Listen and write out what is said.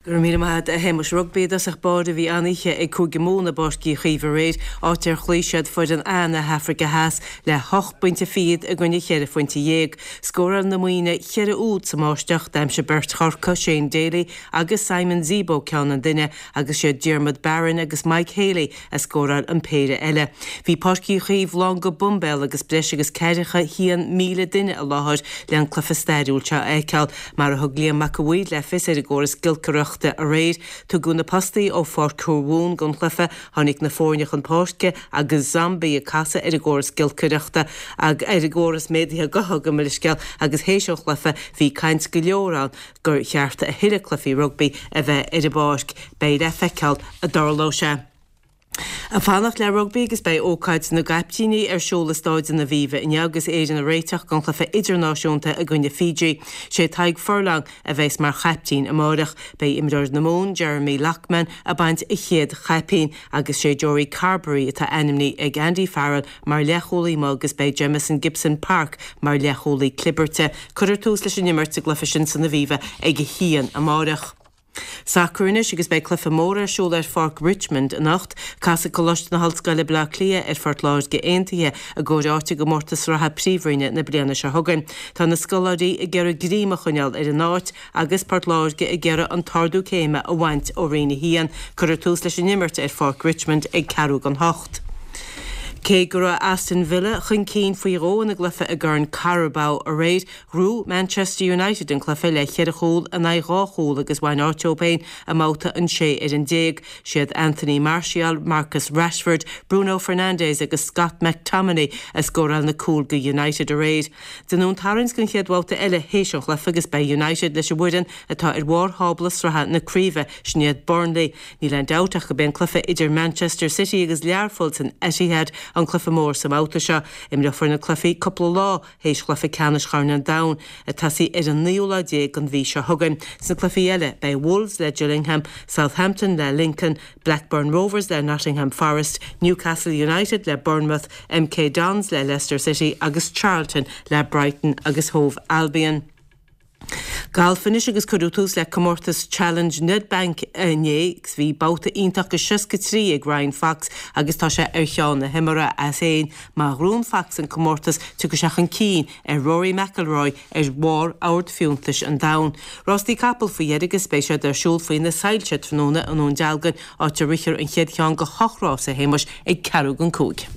Go raibh míle maith agat, a Shéamais. Rugbaí i dtosach báire bhí an-oíche ag Cúige Mumhan i bPáirc Uí Chaoimh aréir, áit ar chloígh siad foireann A na hAfraice Theas le hocht bpointe fichead i gcoinne cheithre phointe dhéag. Scóráil na Muimhnigh cheithre úd sa mbáisteach, d'aimsigh beirt Chorcaigh, Shane Daly agus Simon Zebo ceann an duine agus siad Diarmuid Barron agus Mike Haley a scóráil an péire eile. Bhí Páirc Uí Chaoimh lán go boimbéal agus breis agus 41,000 duine i láthair le an cluiche stairiúil seo a fheiceáil. Mar a thug Liam Mac a' Mhaoir le fios ar an gcóras giolcaireachta aréir, tugadh na postaí ó Pháirc Thuamhumhan don chluiche, tháinig na foirne chun páirce agus Zombie ag casadh ar an gcóras giolcaireachta ar an gcóras méadaithe gutha gabh mo leithscéal agus théis an chluiche bhí caint go leor ann gur cheart a thuilleadh cluichí rugbaí a bheith ar an bpáirc. Beidh le feiceáil an dtarlóidh sé. Ag fanacht le rugbaí agus beidh ócáid na gcaiptíní ar siúl i Stáid an Aviva inniu agus Éirinn ag réiteach don chluiche idirnáisiúnta i gcoinne Fiji. Sé Tadhg Furlong a bheas mar chaiptín amáireach. Beidh imreoir na Mumhan, Jeremy Loughman, ag baint a chéad chaipín agus sé Joey Carbery atá ainmnithe ag Andy Farrell mar leathchúlaí amuigh agus beidh Jamison Gibson-Park mar leathchúlaí clibirte. Cuirfear tús leis an imirt sa gcluiche sin san Aviva ag a haon amáireach. Sacar anois agus beidh cluiche mór ar siúl ar Pháirc Richmond anocht. Casfaidh Coláiste na hOllscoile Baile Átha Cliath ar Phort Láirge Aontaithe i gcomhair áit i gcomórtas sraithe Príomhroinne na bliana seo chugainn. Tá na scoláirí ag iarraidh greim a choinneáil ar an áit agus Port Láirge ag iarraidh an t-ardú céime a bhaint ó Roinn 1. Cuirfear tús leis an imirt ar Pháirc Richmond ag ceathrú don hocht. Cé go raibh Aston Villa chun cinn faoi dhó ina gcluiche i gCorn Carabao aréir, Ghnóthaigh Manchester United an cluiche le cheithre chúl in aghaidh dhá chúl agus bhain áit dóibh féin i mbabhta an 16 ar an. Siad Anthony Martial, Marcus Rashford, Bruno Fernandes agus Scott McTominay a scóráil na cúil do United aréir. Dé Domhnaigh tarraingt don chéad bhabhta eile théis an chluiche agus beidh United leis an bhfoireann atá ar bharr thábla sraithe na craoibhe, sin iad Burnley. Níl aon dabht ach gurb é an cluiche idir Manchester City agus Learpholl san Etihad an cluiche mór sa mbabhta seo. Imreofar na cluichí cúpla lá théis chluiche ceannais Chorn an Domhain, ag tosaí ar an naoú lá déag den mhí seo chugainn. Sna cluichí eile, beidh Wolves le Gillingham, Southampton le Lincoln, Blackburn Rovers le Nottingham Forest, Newcastle United le Bournemouth, MK Dons le Leicester City agus Charlton le Brighton agus Hove Albion. Galf anois agus cuireadh tús le comórtas Challenge Nedbank inné agus bhí babhta iontach de 63 ag Ryan Fox agus tá sé ar cheann na himeartha as féin. Má ghnóthaíonn Fox an comórtas tiocfaidh sé chun cinn ar Rory McIlroy ar bharr ord fiúntais an domhain. Rástaí capall faoi dheireadh agus beidh siad ar siúl faoi na soilse tráthnóna i nDún Dealgan áit a rithfear an chéad cheann de hocht rás a Shéamais ag ceathrú don cúig.